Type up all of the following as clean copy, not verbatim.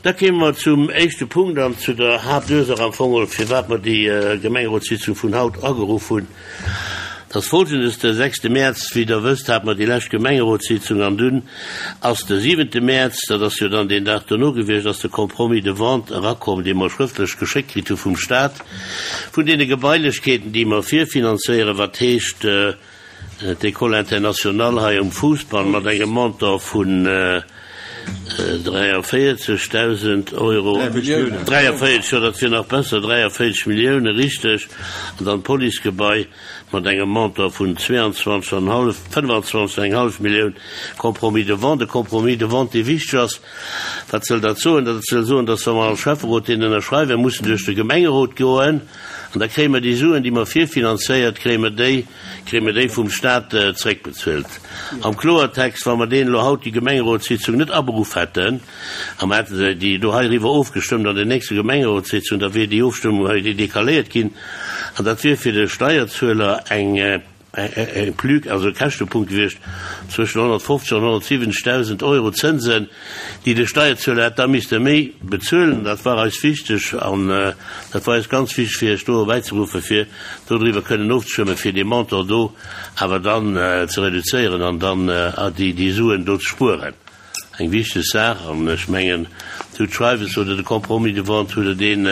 Da kéime mer zum éischte Punkt an zu der Haaptursaach am Fong, firwat mer déi Gemengerotssitzung vun haut ageruff hunn. Dat ass Folgendes, De sechste Mäerz, wéi Der wësst, hate mer déi lescht Gemengerotssitzung an dunn ass de siwente Mäerz, dat ass jo dann deen Dag dono gewiescht, ass de Compromis de vente erakomm, dee mer schrëftlech geschéckt kritt hu vum Stat, vun deene Gebailechkeeten, déi mer virfinanzéieren, wat heescht, D'École internationale hei um Fousbann mat engem Montant vun 43.000 Euro, 43, jo dat wier nach besser, 43 Millioune, richteg, an dann d'Policegebai mat engem Montant vun 22 an hallef, 25 an eng hallef Millioun, Compromis de vente. E Compromis de vente, dee wichteg ass. Wat soll dat soen? Dat soll soen, dass wa mer als Schäfferot deen ënnerschreiwen, mussen duerch de Gemengerot goen an da kréie mer déi Suen, déi mer virfinanzéiert, kréie mer déi, kréie mer déi vum Stat zréckbezuelt. Am Kloertext, wa mer deen elo haut, déi Gemengerotssitzung net aberuff hätten a mer hätte se déi do heiriwwer ofgestëmmt an der nächster Gemengerotssitzung, da wier déi Ofstëmmung hei decaléiert ginn an dat wier fir de Steierzueler eng, E Plus, also e Käschtepunkt gewiescht zwëschen 150 an 170.000 Euro Zënsen, déi de Steierzueler hätt da misste méi bezuelen. Dat war eis wichteg an dat war eis ganz wichteg, fir Iech do erbäizeruffen, fir dodriwwer kënnen ofzestëmmen, fir dee Montant do awer dann ze reduzéieren an dann déi Suen do ze spueren. Eng wichteg Saach, an ech mengen, Dir hutt d'Schreiwes oder de Compromis de vente hutt Der deen,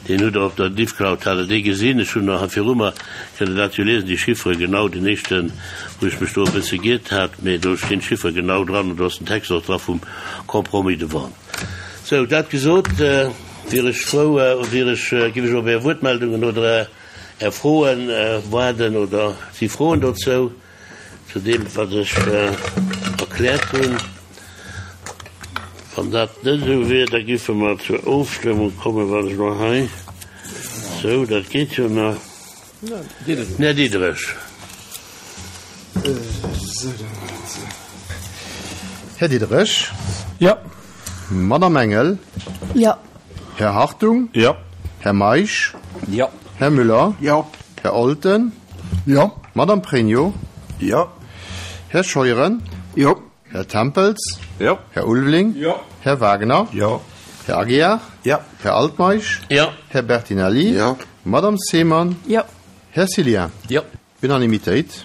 deen hutt Der op der Diffcloud, hat Der dee gesinn. Ech hunn nach viru mer, kënnt Der dat jo liesen, déi Chiffere genau, den éischten, wou ech mech do e bësse giert hat, mä do stinn d'Chiffere genau dran an do ass den Text och dra vum Compromis de vente. Sou, dat gesot, wier ech frou, wier ech, giff ech op Är Wuertmeldungen oder Är Froen waarden oder si Froen dozou? Zu deem, wat ech erkläert hunn. Wann dat net esou wier, da giffe mer zur Ofstëmmung kommen, wann ech mol hei, sou, dat geet jo nach. Här Diderich. Här Diderich. Jo. Madamm Engel. Jo. Här Hartung. Jo. Här Meisch. Jo. Här Müller. Jo. Här Olten. Jo. Madamm Pregno. Jo. Här Scheuren. Jo. Här Tempels. Jo. Här Ulveling. Jo. Här Wagner. Jo. Här Aguiar. Jo. Här Altmeisch. Jo. Här Bertinelli. Jo. Madamm Seemann. Jo. Här Cillien. Jo. Unanimitéit.